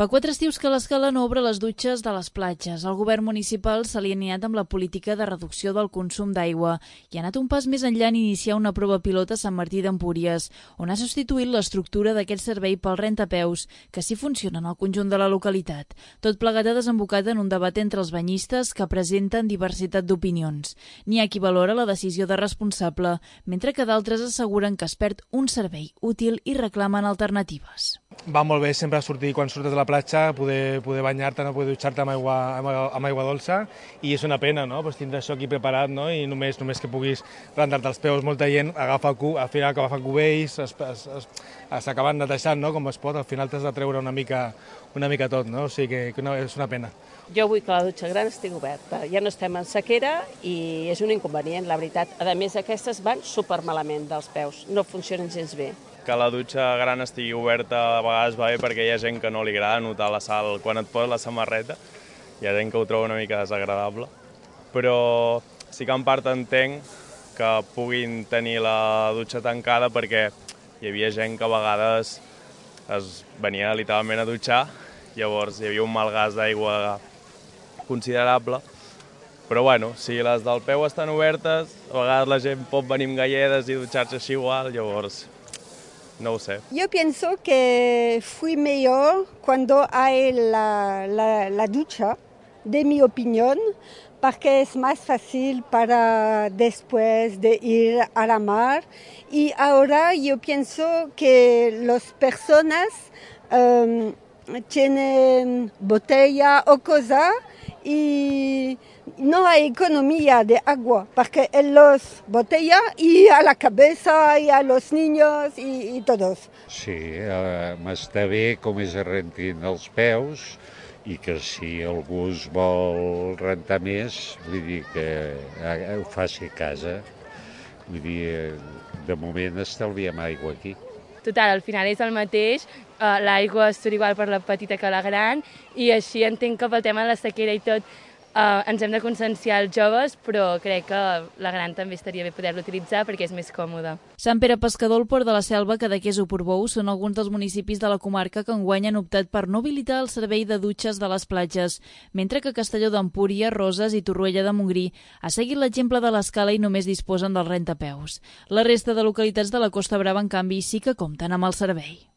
Fa 4 estius que l'Escala no obre les dutxes de les platges. El govern municipal s'ha alineat amb la política de reducció del consum d'aigua i ha anat un pas més enllà en iniciar una prova pilot a Sant Martí d'Empúries, on ha substituït l'estructura d'aquest servei pel rentapeus, que sí funciona en el conjunt de la localitat. Tot plegat ha desembocat en un debat entre els banyistes que presenten diversitat d'opinions. N'hi ha qui valora la decisió de responsable, mentre que d'altres asseguren que es perd un servei útil i reclamen alternatives. Va molt bé sempre sortir quan surtes de la platja, poder banyar-te, no? Poder dutxar-te amb aigua dolça, i és una pena, no? Pues tindre això aquí preparat, no? I només que puguis rentar-te els peus. Molta gent agafa al final agafa cubells, s'acaben netejant, no? Com es pot, al final t'has de treure una mica tot, no? O sigui que no, és una pena. Jo vull que la dutxa gran estigui oberta. Ja no estem en sequera i és un inconvenient, la veritat. A més, aquestes van supermalament dels peus, no funcionen gens bé. Que la dutxa gran estigui oberta a vegades va bé perquè hi ha gent que no li agrada notar la sal quan et poses la samarreta. Hi ha gent que ho troba una mica desagradable. Però sí que en part entenc que puguin tenir la dutxa tancada perquè hi havia gent que a vegades es venia literalment a dutxar, llavors hi havia un malgast d'aigua considerable. Però bueno, si les del peu estan obertes, a vegades la gent pot venir amb galledes i dutxar-se així igual, llavors no ho sé. Yo pienso que fue mejor cuando hay la ducha, de mi opinión, porque es más fácil para después de ir a la mar. Y ahora yo pienso que las personas tienen botella o cosa y no hay economía de agua, porque en las botellas y a la cabeza y a los niños y todos. Sí, m'està bé com es rentin els peus i que si algú es vol rentar més, vull dir que ho faci a casa. Vull dir, de moment estalviem aigua aquí. Total, al final és el mateix, l'aigua surt igual per la petita que la gran i així entenc que pel tema de la sequera i tot ens hem de conscienciar els joves, però crec que la gran també estaria bé poder-la utilitzar perquè és més còmoda. Sant Pere Pescador, el Port de la Selva, Cadaqués o Portbou són alguns dels municipis de la comarca que enguany han optat per no habilitar el servei de dutxes de les platges, mentre que Castelló d'Empúries, Roses i Torroella de Montgrí ha seguit l'exemple de l'Escala i només disposen del rentapeus. La resta de localitats de la Costa Brava, en canvi, sí que compten amb el servei.